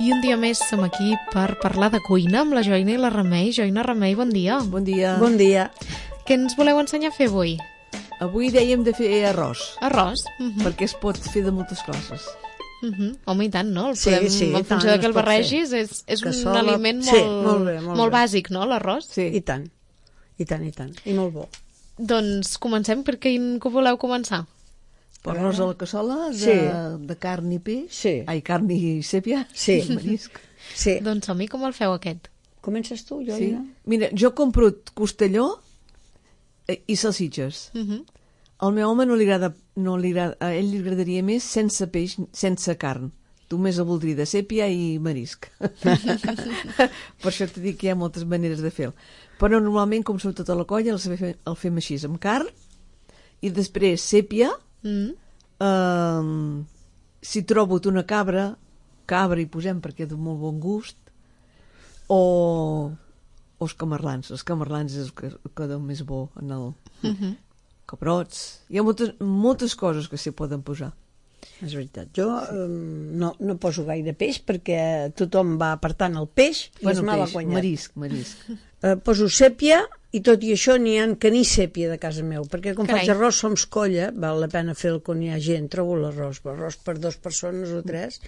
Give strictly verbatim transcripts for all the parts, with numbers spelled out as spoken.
I un dia més som aquí per parlar de cuina amb la Joina i la Remei. Joina, Remei, bon dia. Bon dia. Bon dia. Què ens voleu ensenyar a fer avui? Avui dèiem de fer arròs, Arròs? Uh -huh. perquè es pot fer de moltes coses. Uh -huh. Home, i tant, no? El Sí, podem, sí, en i funció tant, de que el es pot barregis, és, és un Cassola. aliment Sí, molt, molt bé, molt molt bé. bàsic, no?, l'arròs? Sí. I tant, i tant, i tant. I molt bo. Doncs comencem. Per quin que voleu començar? Arròs a la cassola de, Sí. de carn i peix. Sí. Ai, carn i sèpia. Sí. Marisc. Sí. Doncs som-hi, com el feu aquest? Comences tu, jo? Sí. Ja? Mira, jo compro costelló eh, i salsitxes. Uh -huh. Al meu home no li agrada, no li agrada, a ell li agradaria més sense peix, sense carn. Tu més el voldria de sèpia i marisc. Per això t'he dit que hi ha moltes maneres de fer-ho. Però normalment, com som tota la colla, el, fem, el fem així, amb carn, i després sèpia, Mm. eh, si trobo una cabra, cabra hi posem perquè de molt bon gust, o, o els camarlans. Els camarlans és el que queda més bo en el... Uh -huh. Cabrots. Hi ha moltes, moltes coses que s'hi poden posar. És veritat. Jo eh, no, no poso gaire peix perquè tothom va apartant el peix i Bueno, es mal peix, guanyat. marisc, marisc. Eh, poso sèpia i tot i això n'hi ha que ni sèpia de casa meu, perquè com Carai. faig arròs som colla, val la pena fer-lo quan hi ha gent, trobo l'arròs, arròs per dues persones o tres.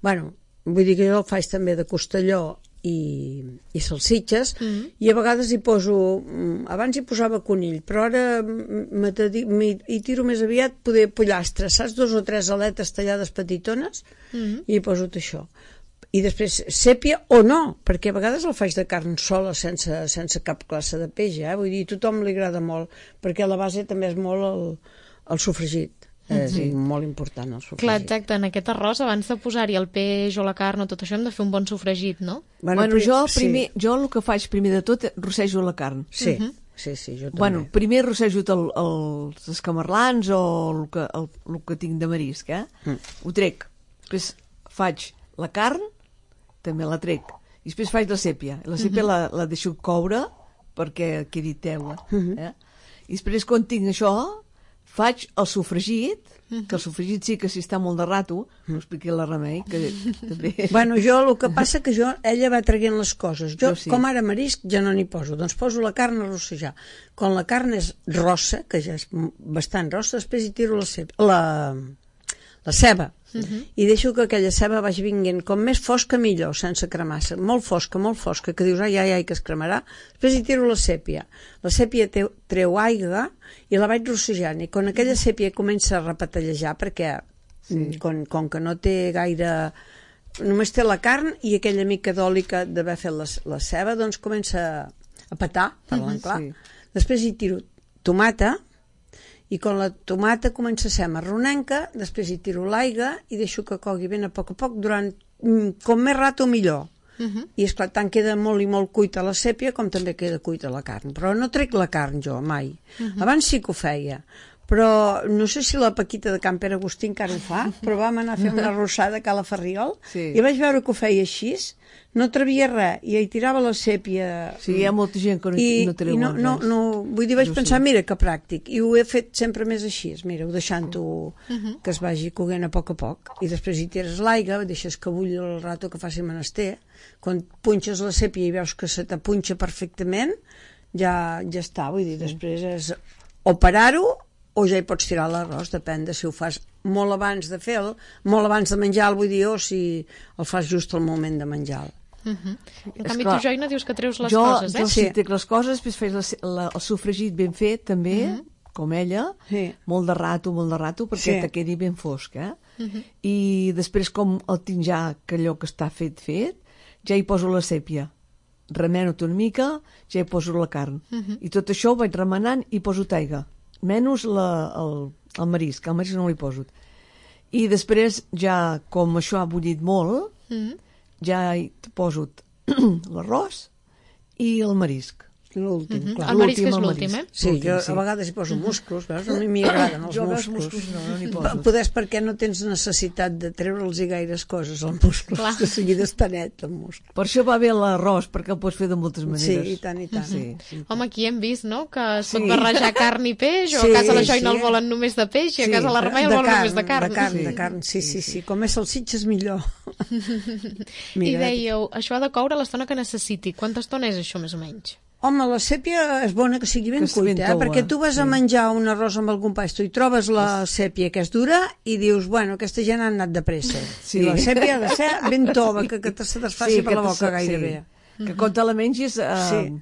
Bueno, vull dir que jo el faig també de costelló i, i salsitxes, Mm -hmm. i a vegades hi poso, abans hi posava conill, però ara hi tiro més aviat poder pollastre, saps? Dos o tres aletes tallades petitones, Mm -hmm. i hi poso tot això. I després sèpia o no, perquè a vegades el faig de carn sola sense, sense cap classe de peix, eh? Vull dir, a tothom li agrada molt, perquè a la base també és molt el, el sofregit. És Sí. molt important el sofregit. Clar, exacte, en aquest arròs, abans de posar-hi el peix o la carn o tot això, hem de fer un bon sofregit, no? Bueno, bueno jo, sí. primer, jo el que faig primer de tot rossejo la carn. Sí, Mhm. sí, sí, jo també. Bueno, primer rossejo el, el, els escamarlans o el que, el, el que tinc de marisc, eh? Mm. Ho trec. Després faig la carn, també la trec. I després faig la sèpia. La sèpia Mhm. la, la deixo coure perquè quedi teula. Mhm. Eh? I després, quan tinc això, faig el sofregit, que el sofregit sí que si està molt de rato, ho expliqui la Remei, que també... Bueno, jo el que passa que jo, ella va traient les coses. Jo, Jo sí. com ara marisc, ja no n'hi poso. Doncs poso la carn a rossejar. Quan la carn és rossa, que ja és bastant rossa, després hi tiro la ceba, la, la ceba. Uh-huh. I deixo que aquella ceba vagi vinguent com més fosca millor, sense cremar-se. Molt fosca, molt fosca, que dius, ai, ai, ai, que es cremarà. Després hi tiro la sèpia. La sèpia te, treu aigua i la vaig rossejant. I quan aquella sèpia comença a repetallejar, perquè sí. com, com que no té gaire... Només té la carn i aquella mica d'oli que d'haver fet la, la ceba, doncs comença a petar, parlant uh-huh, clar. Sí. Després hi tiro tomata, i quan la tomata comença a ser marronenca, després hi tiro l'aigua i deixo que cogui ben a poc a poc durant com més rato millor. Uh -huh. I esclar, tant queda molt i molt cuita la sèpia com també queda cuita la carn, però no trec la carn jo mai. Uh -huh. Abans sí que ho feia, però no sé si la Paquita de Can Pere Agustí encara ho fa, però vam anar a fer una arrossada a Cala Ferriol sí. i vaig veure que ho feia així, no atrevia res i hi tirava la sèpia. Sí, hi ha molta gent que no, I, no treu i no, no, no, vull dir, vaig pensar, mira que pràctic, i ho he fet sempre més així, mira, ho deixant-ho uh -huh. que es vagi coguent a poc a poc, i després hi tires l'aigua, deixes que bulli el rato que faci menester, quan punxes la sèpia i veus que se t'apunxa perfectament, ja, ja està, vull dir, després és o parar-ho o ja hi pots tirar l'arròs, depèn de si ho fas molt abans de fer-lo, molt abans de menjar-lo, vull dir, o si el fas just al moment de menjar-lo. Uh -huh. En canvi, tu, Joina, dius que treus les jo, coses, eh? Jo sí trec les coses, després faig la, la, el sofregit ben fet, també, uh -huh. com ella, sí. molt de rato, molt de rato, perquè sí. te quedi ben fosc, eh? Uh -huh. I després, com el tinc ja, que allò que està fet, fet, ja hi poso la sèpia. Remeno-te una mica, ja hi poso la carn. Uh -huh. I tot això ho vaig remenant i poso taiga. Menys la, el, el marisc, el marisc no l'hi poso. I després, ja, com això ha bullit molt, uh -huh. ja hi poso l'arròs i el marisc. L'últim, Mhm. clar. El marisc L'últim, és el l'últim, eh? marisc. Sí, L'últim, jo sí. a vegades hi poso musclos, veus? A mi m'hi agraden els Jo a musclos. musclos no, no n'hi poso. Podes perquè no tens necessitat de treure'ls gaires coses, els musclos, Clar. de seguida està net el muscle. Per això va bé l'arròs, perquè el pots fer de moltes Sí, maneres. i tant, i tant. Sí. Sí. Home, aquí hem vist, no?, que es pot Sí. barrejar carn i peix, o Sí, a casa la Joina sí. el volen només de peix, i a Sí. casa la Remei el De volen carn, només de carn. de carn, Sí. de carn, sí, sí, sí. Com més salsitxes, millor. I Mira, dèieu, això ha de coure l'estona que necessiti. Quanta estona és això, més o menys? home, la sèpia és bona que sigui ben Que sigui ben cuita, eh? toua, Perquè tu vas sí. a menjar un arròs amb algun pasto i trobes la sèpia que és dura i dius, bueno, aquesta gent ha anat de pressa. Sí. I la sèpia ha de ser ben tova, que, que te se desfaci per la que boca te- gairebé. Sí. Que quan te la mengis... Uh, Sí.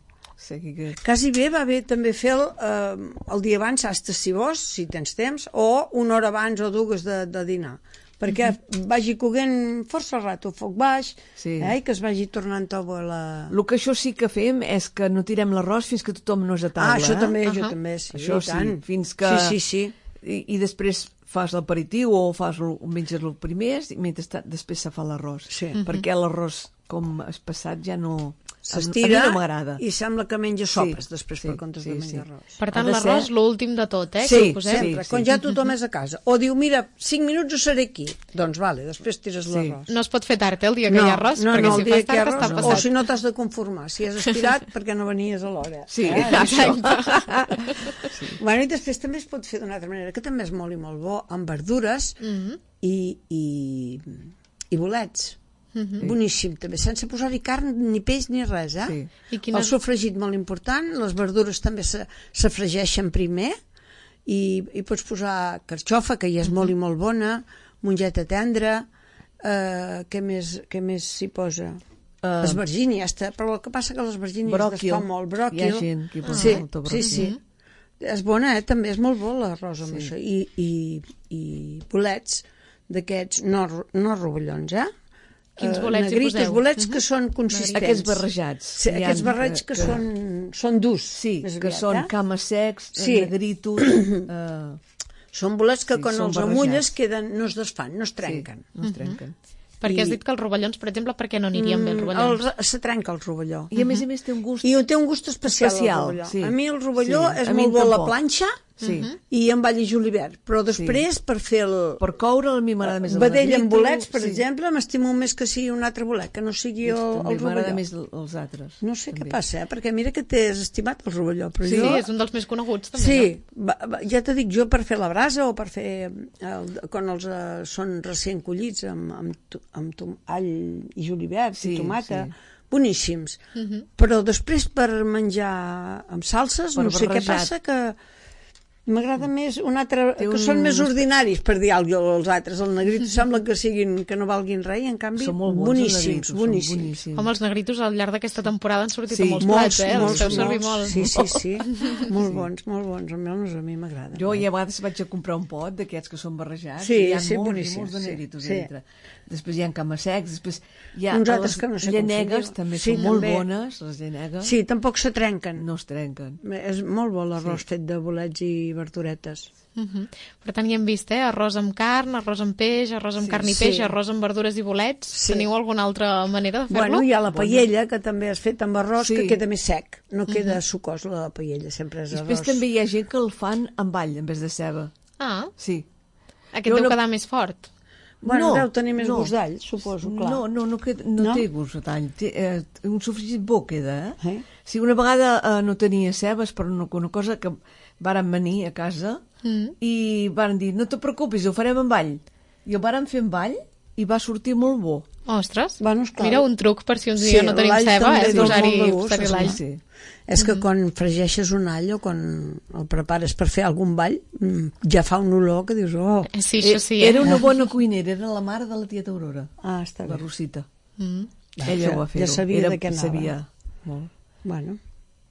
sí que... Quasi bé va bé també fer el, eh, el dia abans, hasta si vols, si tens temps, o una hora abans o dues de, de dinar, perquè vagi coguent força rato a foc baix, Sí. eh, i que es vagi tornant tova la... El que això sí que fem és que no tirem l'arròs fins que tothom no és a taula. Ah, això eh? també, jo Ahà. també, sí, Això i tant. sí, fins que... Sí, sí, sí. I, i després fas l'aperitiu o fas el, menges el primer i mentre després se fa l'arròs. Sí. Perquè l'arròs, com has passat, ja no... S'estira a mi no m'agrada. i sembla que menja sopes Sí, després sí, per comptes sí, de menjar sí. arròs. Per tant, Ha de l'arròs, ser- l'últim de tot, eh? Sí, que ho posem. sempre, Sí, quan sí. ja tothom és a casa. O diu, mira, cinc minuts ho seré aquí. Doncs vale, després tires Sí. l'arròs. No es pot fer tard, eh, el dia que hi ha arròs, no, perquè no, si el dia fas que hi ha tard està arròs, passat. o si no t'has de conformar. Si has estirat, perquè no venies a l'hora. Sí, Eh? Exacte. Bueno, i després també es pot fer d'una altra manera, que també és molt i molt bo, amb verdures Mhm. i, i, i bolets. Mhm. Boníssim, també, sense posar-hi carn, ni peix, ni res, eh? Sí. I quina... El sofregit molt important, les verdures també se, se fregeixen primer, i, i pots posar carxofa, que ja és molt i molt bona, mongeta tendra, eh, què més, què més s'hi posa? Uh, Esvergini, ja està, però el que passa que l'esvergini es bròquil. desfà molt, bròquil. Hi ha gent que hi posa sí, molta sí, bròquil. sí. És bona, eh? També és molt bo l'arròs amb Sí. això. I, i, i bolets d'aquests, no, no rovellons, eh? Quins Eh, bolets hi negritos, poseu? bolets Mhm. que són consistents. Aquests barrejats. Sí, Hi ha aquests barrets que, que són, són durs. Sí, més que aviat, són eh? cames secs, Sí. negritos... eh, Són bolets que Sí, quan són els barrejats. amulles queden, no es desfan, no es trenquen. Sí, no es trenquen. Perquè has I- dit que els rovellons, per exemple, per què no anirien bé els Mm, rovellons? el- se trenca el rovelló. I a més a més té un gust... I té un gust especial, Especial, el rovelló. sí. A mi el rovelló Sí, és a mi molt bo a la tampoc. planxa Sí. i amb all i julivert, però després per fer el Per coure a mi m'agrada més el vedell amb negrito, bolets, per sí. exemple, m'estimo més que sigui un altre bolet, que no sigui el, També el m'agrada rovelló. més el- els altres. No sé també. què passa, eh? Perquè mira que t'has estimat el rovelló, però Sí, jo... és un dels més coneguts, també, Sí, va, va, ja t'ho dic, jo per fer la brasa o per fer el, quan els uh, són recient collits amb, amb, tu- amb tom, all i julivert Sí, i tomata, sí. boníssims. no? Mhm. Però després per menjar amb salses, Per no sé què barrejat. passa, que m'agrada més un altre, Té que un- són més ordinaris, per dir alguna cosa, els altres. El negrito sembla que siguin que no valguin res, i en canvi, Són molt bons, boníssims, els negritos, són boníssims. boníssims. Home, els negritos al llarg d'aquesta temporada han sortit Sí, a molts Molts, plats, eh? molts, Els feu servir molts. molt. Sí, sí, sí. Molt bons, molt bons. Almenys a mi m'agrada. Jo ja a vegades vaig a comprar un pot d'aquests que són barrejats. Sí, i hi ha sí, molts, boníssims, i molts de sí, negritos sí. dintre. Després hi ha cames secs, després hi ha Uns altres les que no sé com se llanegues, diuen. també Sí, són molt també. bones, les llanegues. Sí, tampoc se trenquen. No es trenquen. És molt bo l'arròs fet de bolets i verduretes. Mhm. Per tant, ja hem vist, eh? Arròs amb carn, arròs amb peix, arròs amb Sí, carn i sí. peix, arròs amb verdures i bolets. Sí. Teniu alguna altra manera de fer-lo? Bueno, hi ha la paella, que també has fet amb arròs, Sí. que queda més sec. No queda sucós, la paella, sempre és arròs. Després també hi ha gent que el fan amb all en vez de ceba. Ah, Sí. aquest Jo deu no- quedar més fort. Bueno, No, deu tenir més no. gust d'all, suposo, clar. No, no, no, queda, no, No? té gust a tall. Té, eh, un sofregit bo queda, eh? Eh? Si una vegada eh, no tenia cebes, però una, una cosa que varen venir a casa Mm. i varen dir, no te preocupis, ho farem amb all. I ho varen fer amb all i va sortir molt bo. Ostres, Bueno, esclar. mira un truc per si un Sí, dia no tenim l'all ceba, també és dona posar-hi molt de gust, posar-hi l'all. Sí. És que quan fregeixes un all o quan el prepares per fer algun ball, mm, ja fa un olor que dius, oh, Eh, Sí, això sí, eh? Era una bona cuinera, era la mare de la tieta Aurora, ah, està la bé. Rosita. Mm. Ella ho va fer. Ja sabia de què anava. Sabia molt. Bueno,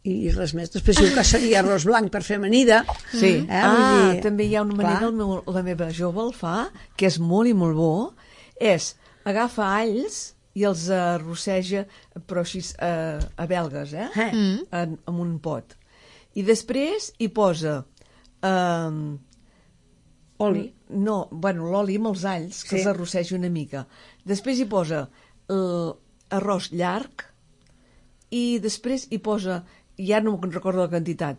i, i res més. Després diu que seria arròs blanc per fer amanida. Sí. Eh? Ah, Vull dir, també hi ha una manera, clar. el meu, la meva jove el fa, que és molt i molt bo, és agafa alls i els arrosseja, però així eh, a belgues, eh? Eh. Mm. En, en un pot. I després hi posa eh, Oli. no, bueno, l'oli amb els alls, que Sí. els arrosseja una mica. Després hi posa l'arròs llarg i després hi posa ja no me'n recordo la quantitat,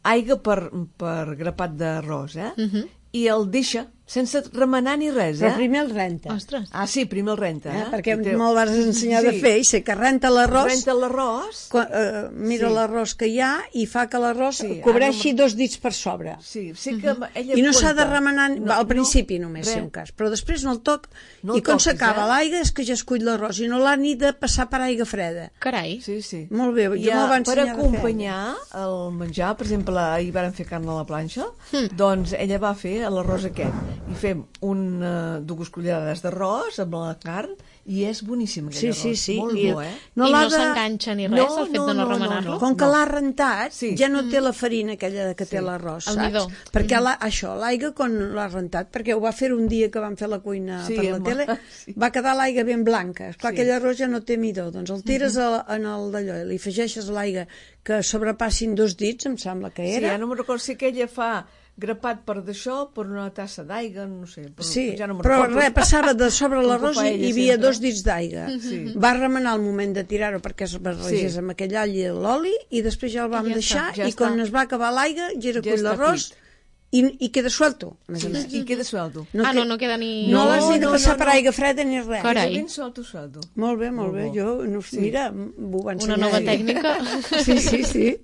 aigua per, per grapat d'arròs, eh? Mhm. I el deixa sense remenar ni res, eh? Però primer el renta. Ostres. Ah, sí, primer el renta, eh? Eh? Perquè I té- me'l vas ensenyar Sí. de fer, i sé que renta l'arròs, Renta l'arròs. quan, eh, mira Sí. l'arròs que hi ha i fa que l'arròs Sí, cobreixi ara no dos dits per sobre. Sí, sé que ella I no s'ha de compta. remenar No, al no, principi només, res. si un cas, però després no el toc, No i el quan toquis, s'acaba eh? l'aigua és que ja es cull l'arròs i no l'ha ni de passar per aigua freda. Carai. Sí, sí. Molt bé, jo I, me'l va eh, per ensenyar de fer. acompanyar el menjar, per exemple, ahir vàrem fer carn a la planxa, Hmm. doncs ella va fer l'arròs aquest. I fem un, uh, dues cullerades d'arròs amb la carn i és boníssim aquell Sí, arròs. sí, sí. Molt I- bo, eh? No I l'ha no de- s'enganxa ni res, No, el fet no, de no, no, no, remenar-lo? no. Com que l'ha rentat, Sí. ja no té la farina aquella que té Sí. l'arròs, El saps? midó. Perquè la, això, l'aigua, quan l'ha rentat, perquè ho va fer un dia que vam fer la cuina Sí, per la home, tele, sí. va quedar l'aigua ben blanca. Esclar, Sí. aquell arròs ja no té midó. Doncs el tires a, en el d'allò i li afegeixes l'aigua que sobrepassin dos dits, em sembla que Sí, era. ja no me'n recordo si que ella fa grapat per d'això, per una tassa d'aigua, no sé. Però Sí, ja no me'n però recordo. res, passava de sobre Com l'arròs ho fa i ella hi havia sempre. dos dits d'aigua. Sí. Va remenar el moment de tirar-ho perquè es barregés Sí. amb aquell all i l'oli i després ja el vam I ja deixar està, ja i quan està. es va acabar l'aigua gira Ja cull està l'arròs cuit. i, i queda suelto, a més a Sí, més. I queda suelto. Ah, que- no, no queda ni... No, No, l'has ni de no, passar no, per no. aigua freda ni res. Carai. Queda ben suelto, suelto. Molt bé, molt, Molt bé. bo. Jo, no, mira, m'ho va Una ensenyar nova ell. tècnica. Sí, sí, sí.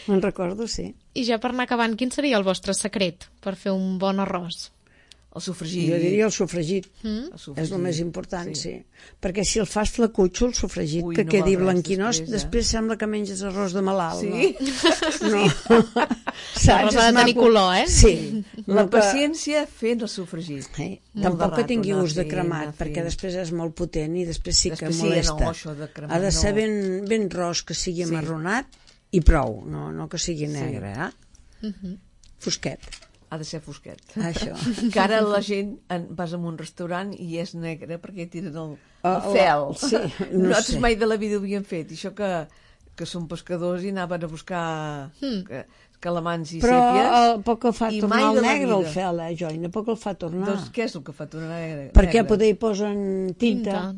Me'n recordo, sí. I ja per anar acabant, quin seria el vostre secret per fer un bon arròs? El sofregit. Jo diria el sofregit. Mm? El sofregit, És el més important, sí. sí. Perquè si el fas flecutxo, el sofregit, Ui, que no quedi val res blanquinós, després, després, eh? sembla que menges arròs de malalt. Sí? No? no. L'arròs ha de tenir color, eh? Sí. La No que- paciència fent el sofregit. Eh? Molt Tampoc de que rato tingui anar gust de fent, cremat, anar perquè fent. després és molt potent i després sí que Després sí, molesta. no, això de cremat, ha de ser no. ben, ben ros, que sigui Sí. amarronat i prou, no, no que sigui negre, eh? Mhm. Fosquet, Ha de ser fosquet. això. Que ara la gent en, vas a un restaurant i és negre perquè tiren el, Ah, el fel. la- sí, no Nosaltres sé. mai de la vida ho havíem fet. I això que, que són pescadors i anaven a buscar Hmm. que, calamans i Però sèpies. el, poc que fa i tornar mai al de la negre el vida. fel, eh, Joina? Poc el fa tornar. Doncs què és el que fa tornar negre? Perquè negre? poder hi posen tinta. Tinta.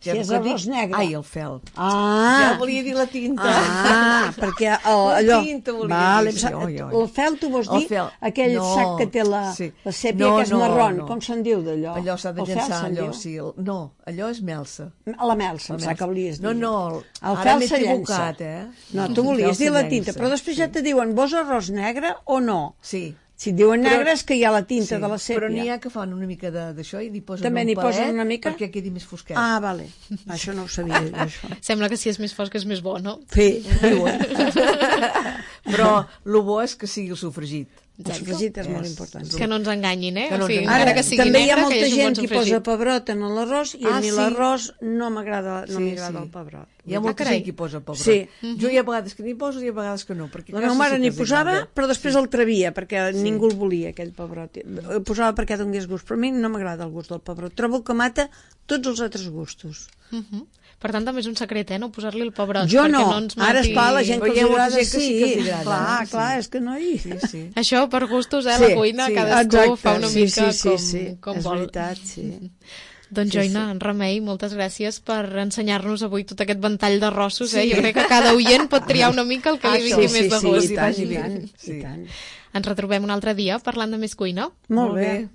Si és arròs negre. Ai, el fel. Ah! Ja volia dir la tinta. Ah, perquè el, La allò... tinta volia vale, dir, sa- sí, oi, oi. el fel, tu vols El dir fel. aquell No, sac que té la, sí. la sèpia No, que és no, marrón, no. com se'n diu d'allò? Allò s'ha de El fel llançar, se'n allò, diu? sí. El, no, allò és melsa. La melsa, em La sap que volies dir. No, no, el ara fel m'he se llença. equivocat, eh? No, El tu volies fel dir se la tinta, llença, però després sí. ja te diuen, vols arròs negre o no? Sí. Si et diuen Però- negre és que hi ha la tinta Sí, de la sèpia. però n'hi ha que fan una mica de- d'això i n'hi posen També un n'hi posen palet una mica? perquè quedi més fosquet. Ah, vale. Això no ho sabia, jo, això. Sembla que si és més fosc és més bo, no? Sí, diuen. Però el bo és que sigui el sofregit. El sofregit és molt És- important. és Que no ens enganyin, eh? Que no o sigui, ens encara Ara, que sigui també negre, hi ha molta que hi hagi un gent bon que posa sofregit. pebrot en l'arròs i a Ah, mi sí. l'arròs no m'agrada, no Sí, m'agrada sí. el pebrot. Hi ha Ah, molta carai. gent que hi posa pebrot. Sí. Jo hi ha vegades que n'hi poso i hi ha vegades que no. Perquè La quasi meva mare sí que n'hi els posava, agrada. però després el travia, perquè ningú el volia, aquell pebrot. El posava perquè donés gust, però a mi no m'agrada el gust del pebrot. Trobo que mata tots els altres gustos. Mhm. Per tant, també és un secret, eh? No posar-li el pebrot. Jo perquè no, no ens ara mati... es fa la gent que Però els hi ha molta agrada, gent que sí que els sí. agrada, Clar, eh? clar, Sí. és que no hi... Sí, sí. Això per gustos, eh? Sí, La cuina, sí. cadascú Exacte, fa una sí, mica sí, sí, com, sí. com és vol. veritat, sí. Doncs Sí, Joina, en Remei, moltes gràcies per ensenyar-nos avui tot aquest ventall de rossos, eh? Jo crec que cada oient pot triar una mica el que li Això, vingui sí, més de sí, gust. i tant, i tant, Sí. i tant. Ens retrobem un altre dia parlant de més cuina. Molt Molt bé. bé.